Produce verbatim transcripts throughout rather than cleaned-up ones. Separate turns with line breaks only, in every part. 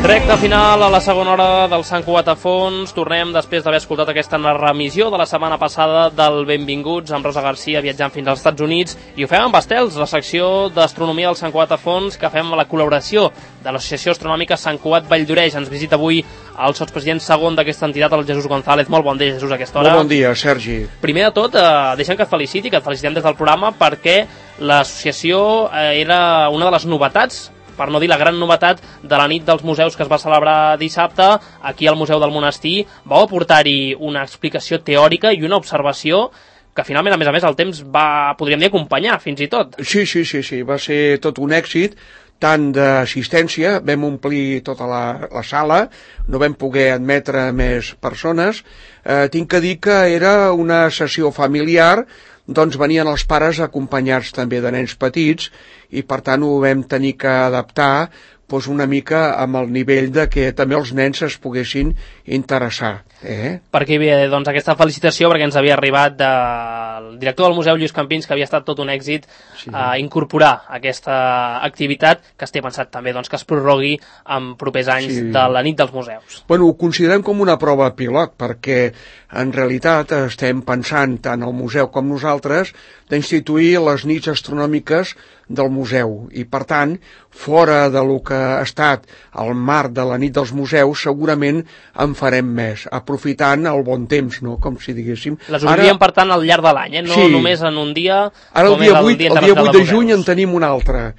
Recta final a la segona hora del Sant Cugat a fons. Tornem després d'haver escoltat aquesta remissió de la setmana passada del Benvinguts amb Rosa Garcia viatjant fins als Estats Units, i ho fem amb Estels, la secció d'astronomia del Sant Cugat a fons, que fem a la col·laboració de l'Associació Astronòmica Sant Cugat Valldoreix. Ens visita avui el sotspresident segon d'aquesta entitat, el Jesús González. Molt bon dia, Jesús, a aquesta hora.
Molt bon dia, Sergi.
Primer de tot, eh, deixa'm que et feliciti, que et felicitem des del programa, perquè l'associació eh, era una de les novetats, per no dir la gran novetat, de la nit dels museus que es va celebrar dissabte aquí al Museu del Monestir. Vau aportar-hi una explicació teòrica i una observació que finalment, a més a més, el temps va, podríem dir, acompanyar, fins i tot.
Sí, sí, sí, sí, va ser tot un èxit, tant d'assistència, vam omplir tota la, la sala, no vam poder admetre més persones. Eh, tinc que dir que era una sessió familiar, doncs venien els pares acompanyats també de nens petits, i per tant ho vam tenir que adaptar doncs una mica amb el nivell de que també els nens es poguessin interessar. Eh?
Per aquí ve doncs, aquesta felicitació, perquè ens havia arribat del director del museu, Lluís Campins, que havia estat tot un èxit sí. a incorporar aquesta activitat, que es té pensat també doncs, que es prorrogui en propers anys sí. de la nit dels museus.
Bueno, ho considerem com una prova pilot, perquè en realitat estem pensant, tant el museu com nosaltres, d'instituir les nits astronòmiques del museu, i per tant, fora de lo que ha estat el marc de la nit dels museus, segurament en farem més, aprofitant el bon temps, no? Com si diguéssim.
Les obririen, per tant, al llarg de l'any, eh? No sí. només en un dia.
Ara el dia vuit, el dia vuit de juny en tenim un altre,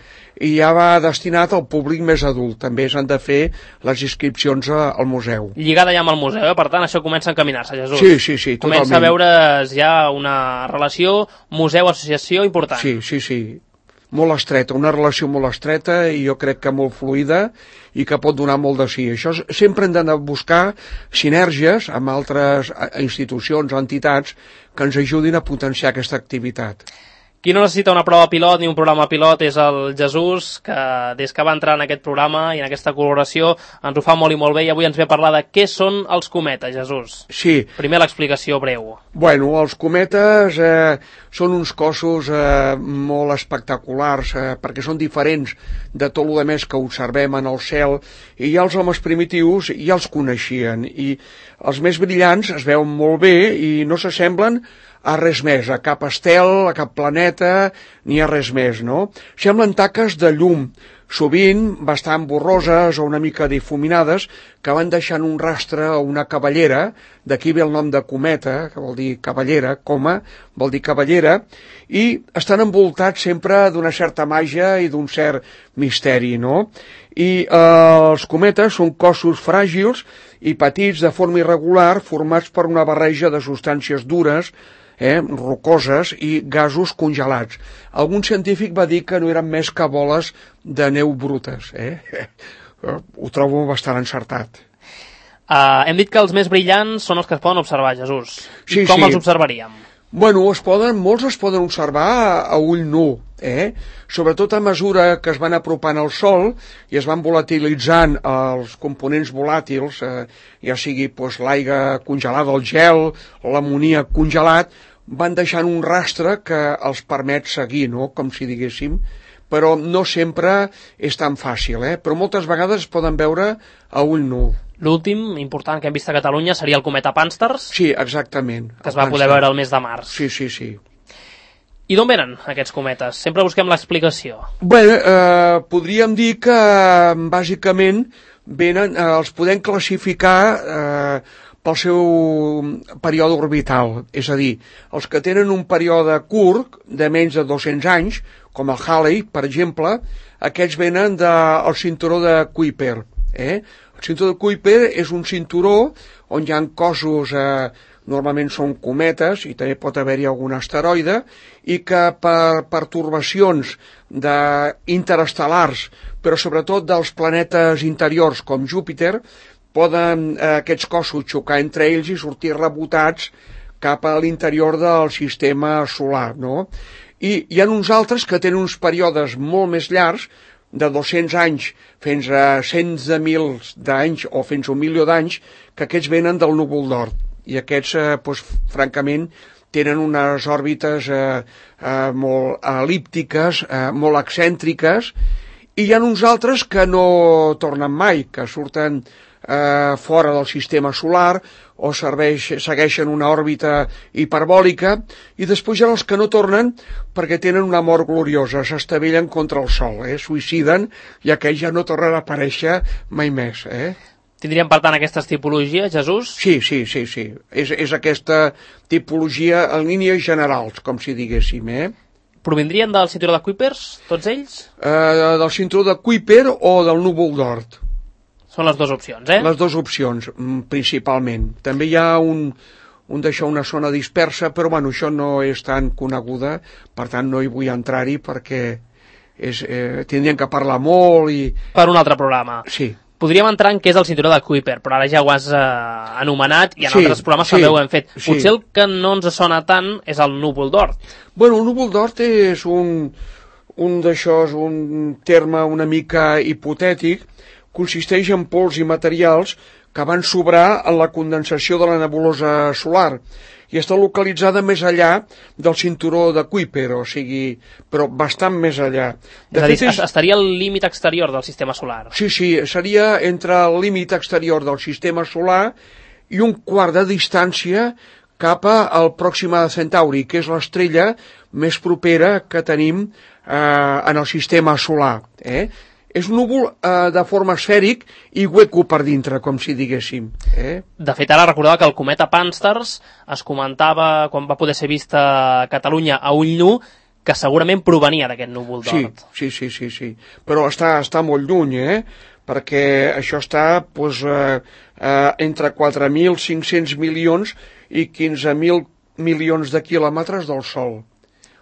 i ja va destinat al públic més adult. També s'han de fer les inscripcions al museu.
Lligada ja amb el museu, eh? Per tant, això comença a encaminar-se, Jesús.
Sí, sí, sí, totalment.
Comença a veure's ja una relació museu-associació important.
Sí, sí, sí. Molt estreta, una relació molt estreta, i jo crec que molt fluida, i que pot donar molt de sí. Això sempre hem d'anar a buscar sinergies amb altres institucions o entitats que ens ajudin a potenciar aquesta activitat.
Qui no necessita una prova pilot ni un programa pilot és el Jesús, que des que va entrar en aquest programa i en aquesta col·laboració ens ho fa molt i molt bé, i avui ens ve a parlar de què són els cometes, Jesús.
Sí.
Primer l'explicació breu.
Bueno, els cometes eh, són uns cossos eh, molt espectaculars, eh, perquè són diferents de tot el més que observem en el cel, i ja els homes primitius ja els coneixien, i els més brillants es veuen molt bé i no s'assemblen a res més, a cap estel, a cap planeta, ni a res més, no? Semblen taques de llum, sovint bastant borroses o una mica difuminades, que van deixant un rastre o una cavallera, d'aquí ve el nom de cometa, que vol dir cavallera, coma, vol dir cavallera, i estan envoltats sempre d'una certa màgia i d'un cert misteri, no? I eh, els cometes són cossos fràgils i petits de forma irregular, formats per una barreja de substàncies dures, Eh, rocoses i gasos congelats. Algun científic va dir que no eren més que boles de neu brutes. Eh? Ho trobo bastant encertat.
Uh, hem dit que els més brillants són els que es poden observar, Jesús.
Sí,
Com
sí.
els observaríem?
Bueno, es poden, molts es poden observar a, a ull nu, eh? Sobretot a mesura que es van apropant al Sol i es van volatilitzant els components volàtils, eh, ja sigui pues, l'aigua congelada, el gel, l'amoníac congelat, van deixant un rastre que els permet seguir, no? Com si diguéssim, però no sempre és tan fàcil, eh? Però moltes vegades es poden veure a ull nu.
L'últim important que hem vist a Catalunya seria el cometa Pànsters.
Sí, exactament.
Que es va poder veure el mes de març.
Sí, sí, sí.
I d'on venen aquests cometes? Sempre busquem l'explicació.
Bé, eh, podríem dir que bàsicament venen, eh, els podem classificar eh, pel seu període orbital, és a dir, els que tenen un període curt de menys de dos-cents anys, com el Halley, per exemple, aquests venen del cinturó de Kuiper. Eh? El cinturó de Kuiper és un cinturó on hi ha cossos, eh, normalment són cometes, i també pot haver-hi algun asteroide, i que per pertorbacions de interestel·lars, però sobretot dels planetes interiors com Júpiter, poden eh, aquests cossos xocar entre ells i sortir rebotats cap a l'interior del sistema solar, no? I hi ha uns altres que tenen uns períodes molt més llargs, de dos-cents anys fins a cents de mils d'anys o fins a un milió d'anys, que aquests venen del núvol d'Oort. I aquests, eh, doncs, francament, tenen unes òrbites eh, eh, molt elíptiques, eh, molt excèntriques, i hi ha uns altres que no tornen mai, que surten eh, fora del sistema solar o serveix, segueixen una òrbita hiperbòlica, i després hi ha els que no tornen perquè tenen una mort gloriosa, s'estavellen contra el Sol, eh, suïciden, i aquells ja no tornen a aparèixer mai més. Eh?
Tindríem, per tant, aquestes tipologies, Jesús?
Sí, sí, sí, sí. És, és aquesta tipologia en línies generals, com si diguéssim, eh?
Provindrien del cinturó de Kuipers, tots ells?
Eh, del cinturó de Kuiper o del núvol d'Oort.
Són les dues opcions, eh?
Les dues opcions, principalment. També hi ha un, un d'això, una zona dispersa, però bueno, això no és tan coneguda, per tant no hi vull entrar-hi perquè és, eh, tindrien que parlar molt i...
Per un altre programa.
Sí.
Podríem entrar en què és el cinturó de Kuiper, però ara ja ho has eh, anomenat i en
sí,
altres programes
sí,
també ho hem fet.
Sí.
Potser el que no ens sona tant és el núvol d'Oort.
Bueno, el núvol d'Oort és un, un d'això, un terme una mica hipotètic, consisteix en pols i materials que van sobrar en la condensació de la nebulosa solar i està localitzada més allà del cinturó de Kuiper, o sigui, però bastant més allà.
De és a dir, és... estaria al límit exterior del sistema solar.
Sí, sí, seria entre el límit exterior del sistema solar i un quart de distància cap al Pròxima Centauri, que és l'estrella més propera que tenim eh, en el sistema solar. Eh? És un núvol eh, de forma esfèric i hueco per dintre, com si diguéssim. Eh?
De fet, ara recordava que el cometa Pan-STARRS es comentava, quan va poder ser vist a Catalunya a ull nu, que segurament provenia d'aquest núvol d'Oort.
Sí, sí, sí, sí, sí. Però està, està molt lluny, eh? Perquè això està doncs, eh, eh, entre quatre mil cinc-cents milions i quinze mil milions de quilòmetres del Sol.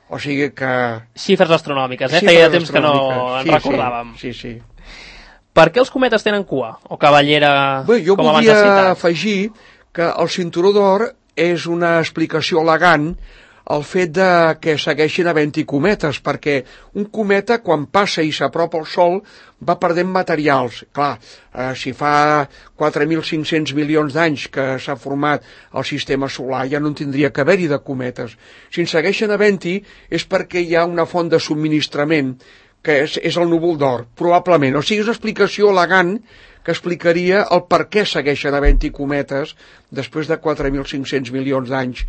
O sigui que...
Xifres astronòmiques, eh?
Xifres
Feia temps que no
sí,
en recordàvem.
Sí, sí, sí.
Per què els cometes tenen cua? O cavallera,
Bé, jo
com abans has
volia
citat?
afegir que el cinturó d'or és una explicació elegant el fet de que segueixin havent-hi cometes, perquè un cometa, quan passa i s'apropa al Sol, va perdent materials. Clar, eh, si fa quatre mil cinc-cents milions d'anys que s'ha format el sistema solar, ja no en tindria que haver-hi de cometes. Si en segueixen havent-hi és perquè hi ha una font de subministrament, que és, és el núvol d'Oort, probablement. O sigui, és una explicació elegant que explicaria el per què segueixen havent-hi cometes després de quatre mil cinc-cents milions d'anys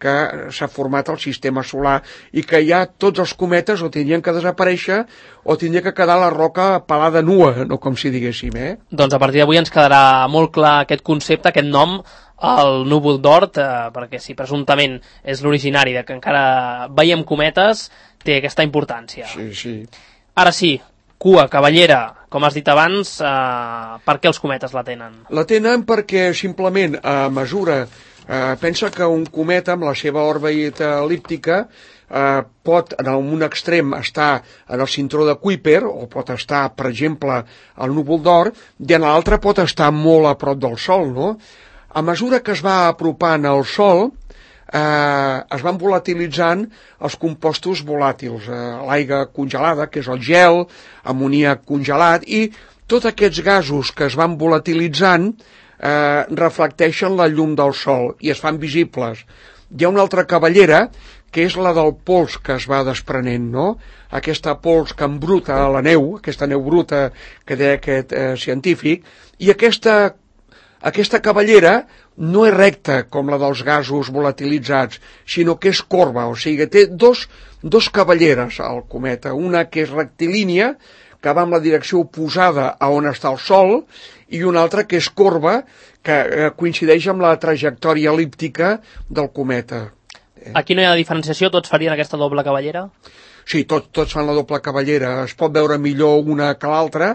que s'ha format el sistema solar i que ja tots els cometes o tindrien que desaparèixer o tindria que quedar la roca pelada nua, no com si diguéssim, eh?
Doncs a partir d'avui ens quedarà molt clar aquest concepte, aquest nom, el núvol d'Oort, eh, perquè si presumptament és l'originari de que encara veiem cometes, té aquesta importància.
Sí, sí.
Ara sí, cua, cavallera, com has dit abans, eh, per què els cometes la tenen?
La tenen perquè simplement a mesura... Eh, pensa que un cometa amb la seva òrbita el·líptica eh, pot en un extrem estar en el cinturó de Kuiper o pot estar, per exemple, al núvol d'Oort i en l'altre pot estar molt a prop del Sol, no? A mesura que es va apropant al Sol eh, es van volatilitzant els compostos volàtils, eh, l'aigua congelada, que és el gel, amoníac congelat, i tots aquests gasos que es van volatilitzant Eh, reflecteixen la llum del Sol i es fan visibles. Hi ha una altra cavallera que és la del pols que es va desprenent, no? Aquesta pols que embruta a la neu, aquesta neu bruta que deia aquest eh, científic, i aquesta, aquesta cavallera no és recta com la dels gasos volatilitzats, sinó que és corba, o sigui, té dos, dos cavalleres al cometa, una que és rectilínia, que va en la direcció oposada a on està el Sol, i una altra que és corba, que eh, coincideix amb la trajectòria el·líptica del cometa.
Eh? Aquí no hi ha diferenciació, tots farien aquesta doble cavallera?
Sí, tot, tots fan la doble cavallera. Es pot veure millor una que l'altra,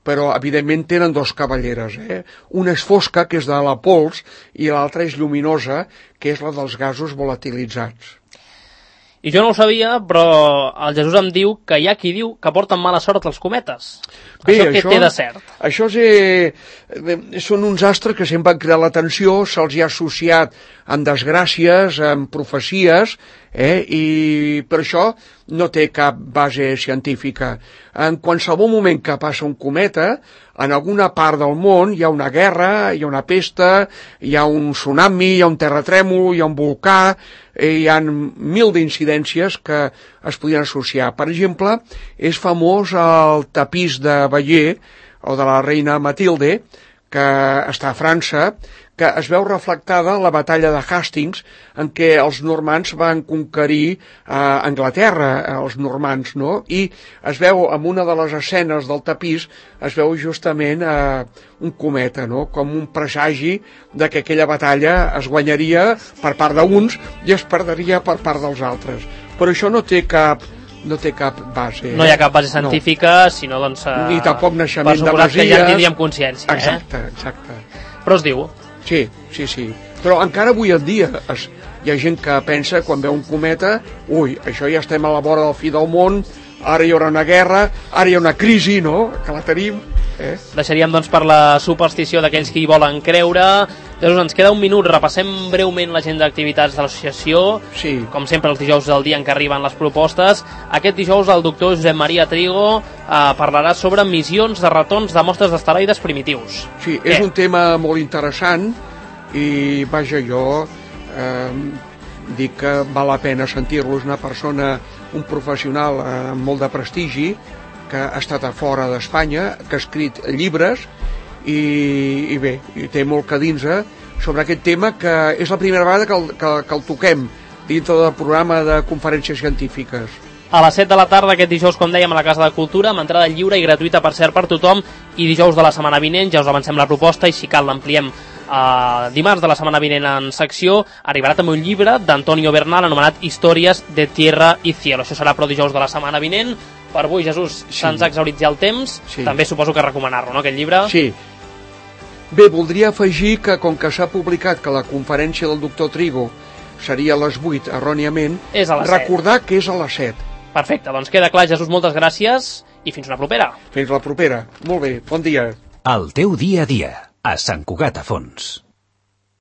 però evidentment tenen dos cavalleres. Eh? Una és fosca, que és de la pols, i l'altra és lluminosa, que és la dels gasos volatilitzats.
I jo no ho sabia, però el Jesús em diu que hi ha qui diu que porten mala sort els cometes. Bé, això què això, té de cert?
Això és, eh, són uns astres que sempre han cridat l'atenció, se'ls hi ha associat amb desgràcies, amb profecies, eh? I per això no té cap base científica. En qualsevol moment que passa un cometa, en alguna part del món hi ha una guerra, hi ha una pesta, hi ha un tsunami, hi ha un terratrèmol, hi ha un volcà, hi ha mil d'incidències que es podien associar. Per exemple, és famós el tapís de Bayeux, o de la reina Matilde, que està a França, que es veu reflectada en la batalla de Hastings, en què els normands van conquerir eh, Anglaterra, els normands, no? I es veu, en una de les escenes del tapís, es veu justament eh, un cometa, no? Com un presagi de que aquella batalla es guanyaria per part d'uns i es perdria per part dels altres. Però això no té cap... no té cap base.
No hi ha cap base científica, no. Sinó doncs... Eh,
ni tampoc naixement de
masies. Que ja en tindríem consciència.
Exacte,
eh?
exacte.
Però es diu.
Sí, sí, sí. Però encara avui en dia es, hi ha gent que pensa, quan veu un cometa, ui, això ja estem a la vora del fi del món, ara hi haurà una guerra, ara hi ha una crisi, no?, que la tenim. Eh?
Deixaríem doncs per la superstició d'aquells que hi volen creure. Llavors ens queda un minut, repassem breument l'agenda d'activitats de l'associació.
Sí.
Com sempre els dijous del dia en què arriben les propostes. Aquest dijous el doctor Josep Maria Trigo eh, parlarà sobre missions de retorns de mostres d'asteroides primitius.
Sí, és Què? un tema molt interessant i vaja, jo eh, dic que val la pena sentir-lo. És una persona, un professional eh, amb molt de prestigi, que ha estat a fora d'Espanya, que ha escrit llibres i, i bé, i té molt que dins sobre aquest tema, que és la primera vegada que el, que, que el toquem dintre del programa de conferències científiques.
A les set de la tarda aquest dijous, com dèiem, a la Casa de Cultura, amb entrada lliure i gratuïta, per cert, per tothom, i dijous de la setmana vinent, ja us avancem la proposta, i si cal l'ampliem Uh, dimarts de la setmana vinent en secció, arribarà també un llibre d'Antonio Bernal anomenat Històries de Tierra y Cielo. Això serà però dijous de la setmana vinent. Per avui, Jesús, sí. Se'ns ha exhaurit ja el temps. Sí. També suposo que recomanar-lo, no, aquest llibre?
Sí. Bé, voldria afegir que com que s'ha publicat que la conferència del doctor Trigo seria a les vuit, erròniament,
és a les
recordar
set.
Que és a les set.
Perfecte, doncs queda clar, Jesús, moltes gràcies i fins una propera.
Fins la propera. Molt bé, bon dia.
El teu dia a dia, a Sant Cugat a Fons.